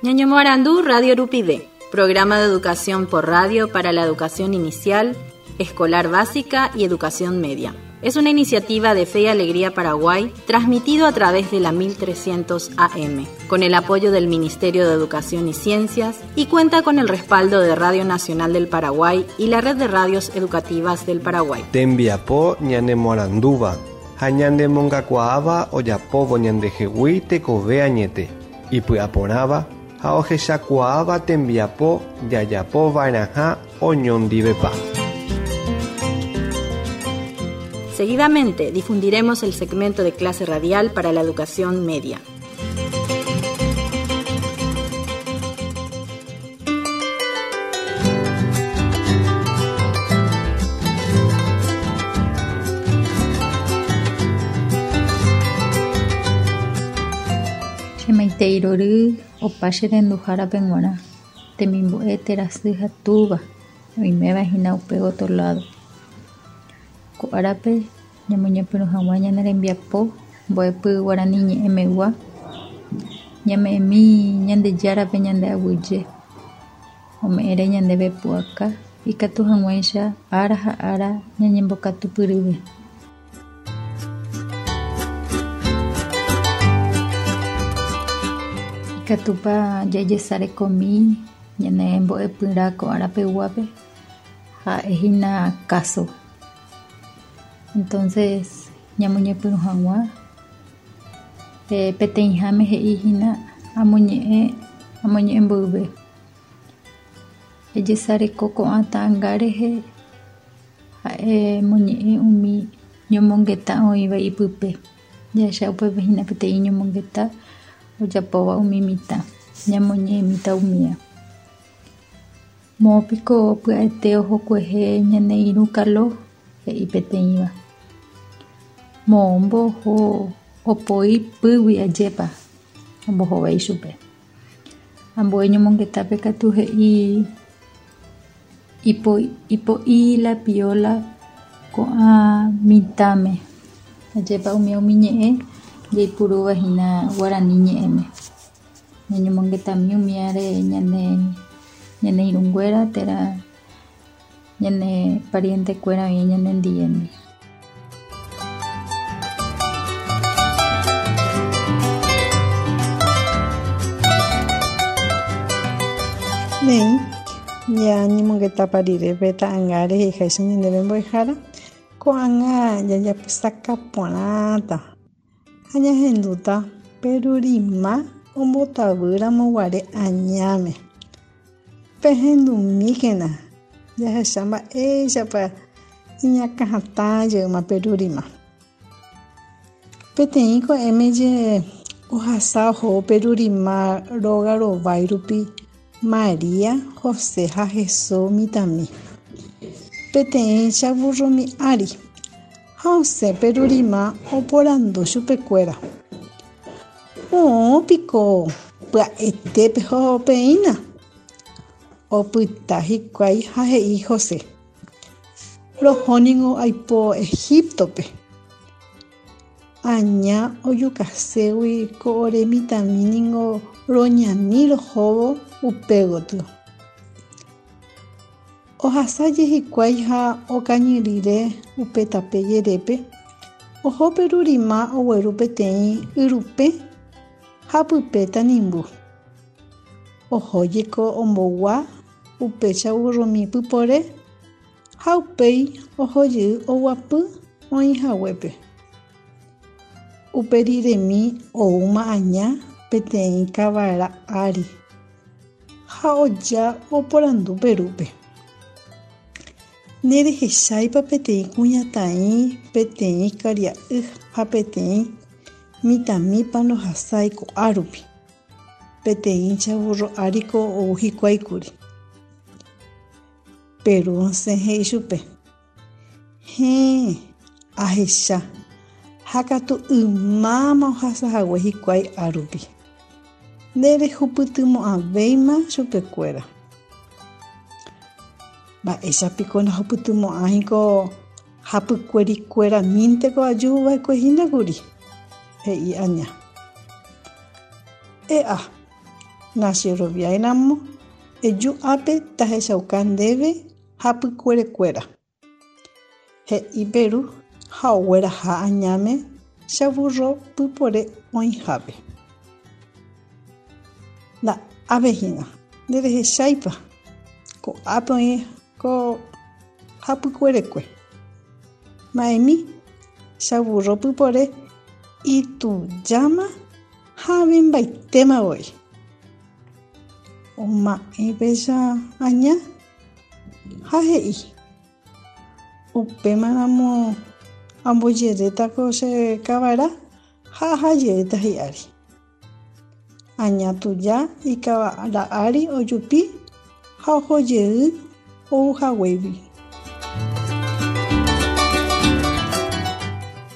Ñañomoarandu Radio Rupive, programa de educación por radio para la educación inicial, escolar básica y educación media. Es una iniciativa de Fe y Alegría Paraguay transmitido a través de la 1300 AM, con el apoyo del Ministerio de Educación y Ciencias y cuenta con el respaldo de Radio Nacional del Paraguay y la Red de Radios Educativas del Paraguay. Tembiapo ñanemoarandúva ha ñanemongakuaáva ojapóvo ñandehegui tekove añete, ipy'aporãva ha ohechakuaáva tembiapo jajapova'erãha oñondivepa. Seguidamente difundiremos el segmento de clase radial para la educación media. Che maitei rory opa che renduhárape g̃uarã, temimbo'e térã sy ha túva oiméva hína upe otro lado. Ko árape ñamoñepyrũ hag̃ua ñane rembiapo mbo'epy guarani ñe'ẽmegua, ñame'ẽmi Ñandejárape ñande aguyje, ome'ẽre ñandéve pu'aka ikatu hag̃uáicha ára ha ára ñañembokatupyryve. Ikatúpa jajesarekomi ñane mbo'epyrã ko arapeguápe ha'ehína káso. Entonces ñamoñepyrũ hag̃ua peteĩháme he'ihína amoñe'ẽ amoñe'ẽ mboyve. Ejesareko ko'ã ta'ãnga rehe ha'e moñe'ẽ umi ñomongeta oĩva ipype. Jahecha upépe hína peteĩ ñomongeta ojapóva umi mitã ñamoñe'ẽmíta umía. Moõpiko pya'ete ohokuehe ñane irũ Kalo, he'i peteĩva. Moõmbo oho opoi pýgui ajépa, ombohovái chupe. Ambue ñomongetápe katu he'i ipo'i la pióla ko'ã mitãme, ajépa umi umi ñe'ẽ jaipurúva hína guarani ñe'ẽme. Ñañomongetami umíare ñane ñane irũnguéra térã ñane parientekuéra oĩ ñanendivéndi. Néi, ñañemongetapa rire pe ta'anga reheháicha ñandéve mbo'ehára, ko'ág̃a jajapysaka porãta ha ñahendúta Perurima ombotavýramo guare añáme. Pehendumíkena jahecha mba'éichapa iñakãhatã jeýma Perurima. Peteĩ ko'ẽme je ohasa ohóvo Perurima róga rovái rupi María, José ha Jesús mitãmi. Peteĩ chavurromi ári ha osẽ Perurima oporandu chupekuéra. Moõ piko pya'ete peho peína? Opyta hikuái ha he'i José. Roho ningo aipo Egíptope. Aña ojukaségui ko ore mitãmi ningo roñani rohóvo upe gotyo. Ohasáje hikuái ha okañy rire upe tape jerépe, oho Perurima ogueru peteĩ yrupẽ ha pype tanimbu. Ohójeko ombogua upe chavurrumi pypore ha upéi ohojey oguapy oĩ haguépe. Upe riremi oúma aña peteĩ kavara ári ha oja oporandu Perúpe. Nderehecháipa peteĩ kuñataĩ, peteĩ karia'y ha peteĩ mitãmípa ndohasái ko'árupi? Peteĩ chavurro áriko ou hikuái kuri. Peru osẽ he'i chupe, Héẽ, ahecha, ha katu ymáma ohasa hague hikuái árupi. Nderehupytymo'ãvéima chupekuéra. Mba'éicha piko ndahupytymo'ãiko hapykuerikueramínteko aju va'ekue hína kuri? He'i aña. E'a! Nacheroviáiramo, eju ápe tahechauka ndéve hapykuerekuéra. He'i Peru ha ogueraha añáme chavurro pypore oĩhápe. Nda'ápe hína, nderehecháipa, ko'ápe oĩ ko hapykuerekue. Ma'ẽmi, chavurro pypore itujáma ha avembaitéma voi. Oma'ẽ péicha aña ha he'i, Upémaramo ambojeréta ko che kavara ha aha jeýta hi'ári. Aña tuja ikavara ári ojupi ha oho jey ou haguégui.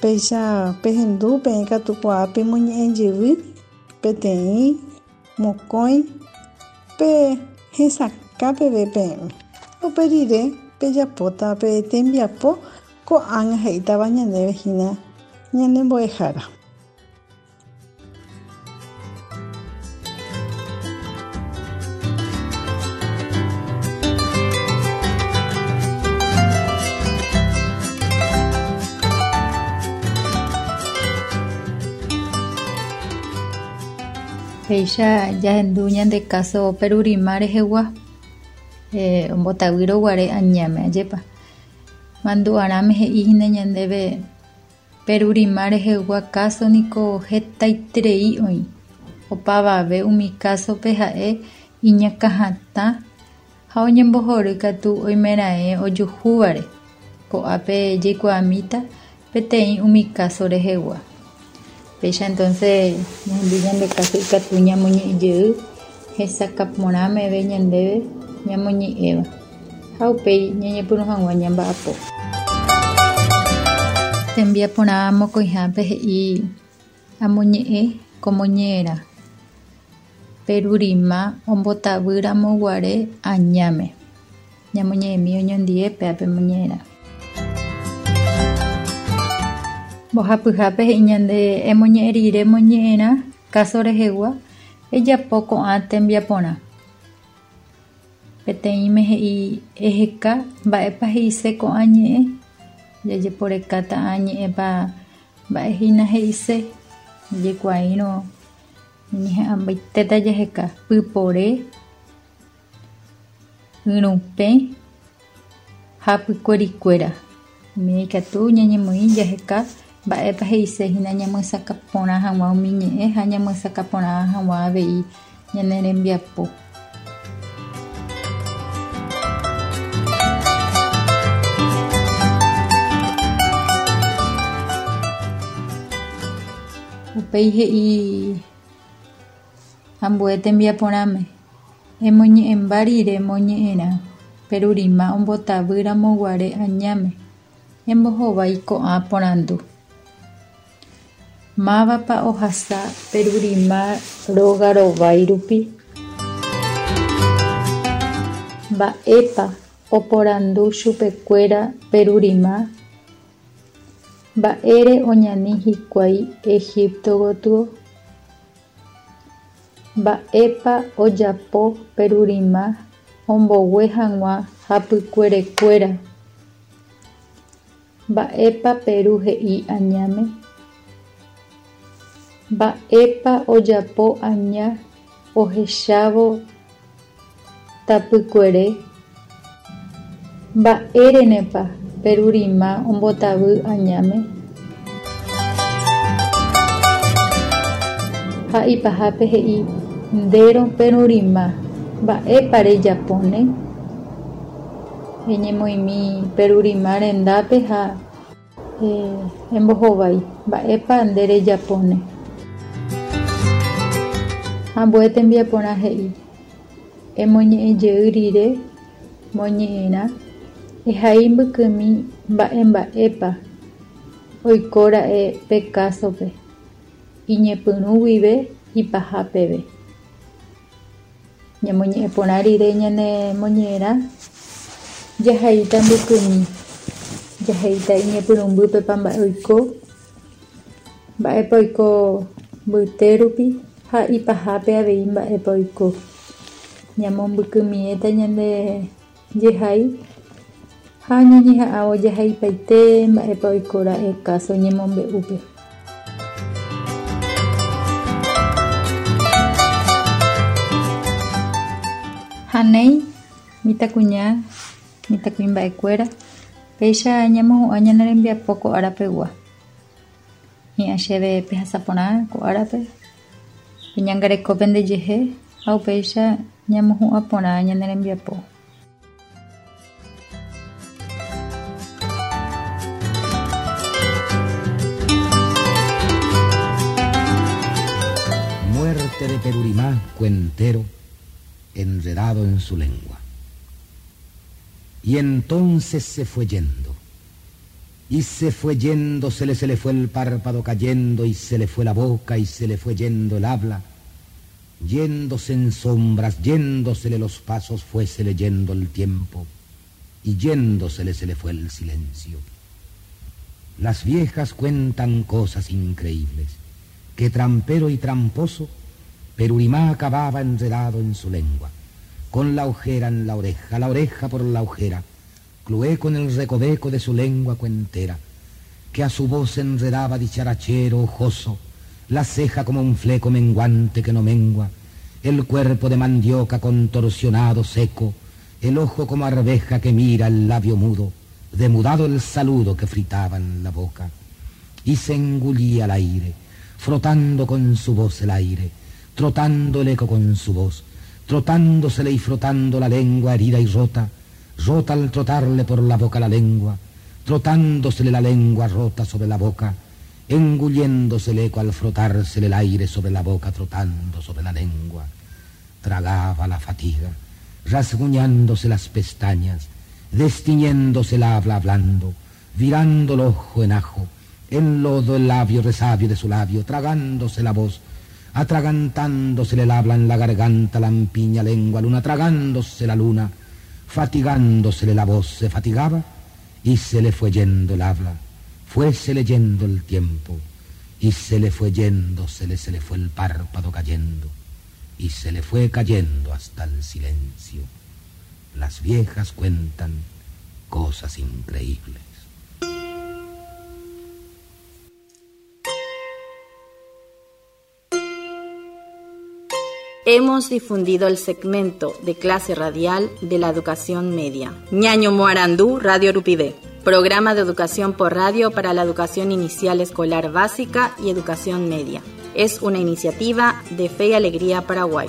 Péicha pehendu peẽ katu kuaa pemoñe'ẽ jevy peteĩ, mokõi, pe hesakã peve peẽme. Upe rire pejapóta pe tembiapo ko'ág̃a he'ítava ñandéve hína ñane mbo'ehára. Péicha jahendu ñande káso Perurima rehegua, ombotavýrõ guare añáme, ajépa. Mandu'arãme he'i hína ñandéve Perurima rehegua káso niko hetaiterei oĩ. Opavave umi kásope ha'e iñakãhatã ha oñembohory katu oimeraẽ ojuhúvare. Ko'ápe jaikuaamíta peteĩ umi káso rehegua. Péicha entonces ñahendu ñande káso ikatu ñamoñe'ẽ jey hesakã porã meve ñandéve ñamoñe'ẽva ha upéi ñañepyrũ hag̃ua ñamba'apo. Tembiaporã mokõihápe he'i amoñe'ẽ ko moñe'ẽrã. Perurima ombotavýramo guare añáme. Ñamoñe'ẽmi oñondie péape moñe'ẽrã. Mbohapyhápe he'i ñande emoñe'ẽ rire moñe'ẽrã káso rehegua ejapo ko'ã tembiaporã. Peteĩme he'i eheka mba'épa he'ise ko'ã ñe'ẽ, jajeporekáta ã ñe'ẽpa mba'e hína he'ise, jaikuaáirõ ñañeha'ãmbaitéta jaheka pypore, yrupẽ ha pykuerikuéra. Umi ikatu ñañemoĩ jaheka mba'épa he'ise hína ñamyesakã porã hag̃ua umi ñe'ẽ ha ñamyesakã porã hag̃ua avei ñane rembiapo. Upéi he'i ambue tembiaporãme, Emoñe'ẽmba rire moñe'ẽrã, Perurima ombotavýramo guare añáme, embohovái ko'ã porandu. Mávapa ohasa Perurima róga rovái rupi? Mba'épa oporandu chupekuéra Perurima? Mba'ére oñani hikuái Egipto gotyo? Mba'épa ojapo Perurima ombogue hag̃ua hapykuerekuéra? Mba'épa Peru he'i añáme? Mba'épa ojapo aña ohechávo tapykuere? Mba'érenepa Perurima ombotavy añáme? Ha ipahápe he'i ndérõ Perurima, mba'épa rejapóne? Eñemoĩmi Perurima rendápe ha Embohovái, mba'épa nde rejapóne. Ambue tembiaporã he'i, Emoñe'ẽjey rire moñe'ẽrã, ehai mbykymi mba'emba'épa oikóra'e pe kásope, iñepyrũ guive ipaha peve. Ñamoñe'ẽ porã rire ñane moñe'ẽrã, jahaíta mbykymi, jahaíta iñepyrũmbýpepa mba'e oiko, mba'épa oiko mbyte rupi ha Ha ipahápe avei mba'épa oiko. Ñamombykymiéta ñande jehai ha ñañeha'ãvo jahaipaite mba'épa oiko ra'e káso ñemombe'úpe. Ha néi, mitãkuña, mitãkuimba'ekuéra, péicha ñamohu'ã ñane rembiapo ko ára pegua. Hi'ã chéve pehasa porã ko árape, peñangareko pendejehe ha upéicha ñamohu'ã porã ñane rembiapo. Muerte de Perurimá, cuentero, enredado en su lengua. Y entonces se fue yendo. Y se fue yendo, se le, se le fue el párpado cayendo, y se le fue la boca, y se le fue yendo el habla. Yéndose en sombras, yéndosele los pasos, fuésele yendo el tiempo, y yéndosele se le fue el silencio. Las viejas cuentan cosas increíbles, que trampero y tramposo, Perurimá acababa enredado en su lengua, con la ojera en la oreja, la oreja por la ojera, clueco en el recoveco de su lengua cuentera, que a su voz enredaba dicharachero ojoso, la ceja como un fleco menguante que no mengua, el cuerpo de mandioca contorsionado seco, el ojo como arveja que mira el labio mudo, demudado el saludo que fritaba en la boca, y se engullía al aire, frotando con su voz el aire, trotando el eco con su voz, trotándosele y frotando la lengua herida y rota, rota al trotarle por la boca la lengua, trotándosele la lengua rota sobre la boca, engulléndose el eco al frotársele el aire sobre la boca, trotando sobre la lengua. Tragaba la fatiga, rasguñándose las pestañas, destiñéndose el habla hablando, virando el ojo en ajo, en lodo el labio resabio de su labio, tragándose la voz, atragantándosele el habla en la garganta, lampiña lengua, luna, tragándose la luna, fatigándosele la voz, se fatigaba y se le fue yendo el habla, fuésele yendo el tiempo, y se le fue yendo, se le, se le fue el párpado cayendo, y se le fue cayendo hasta el silencio. Las viejas cuentan cosas increíbles. Hemos difundido el segmento de clase radial de la educación media. Ñaño Moarandú, Radio Rupivé. Programa de educación por radio para la educación inicial escolar básica y educación media. Es una iniciativa de Fe y Alegría Paraguay.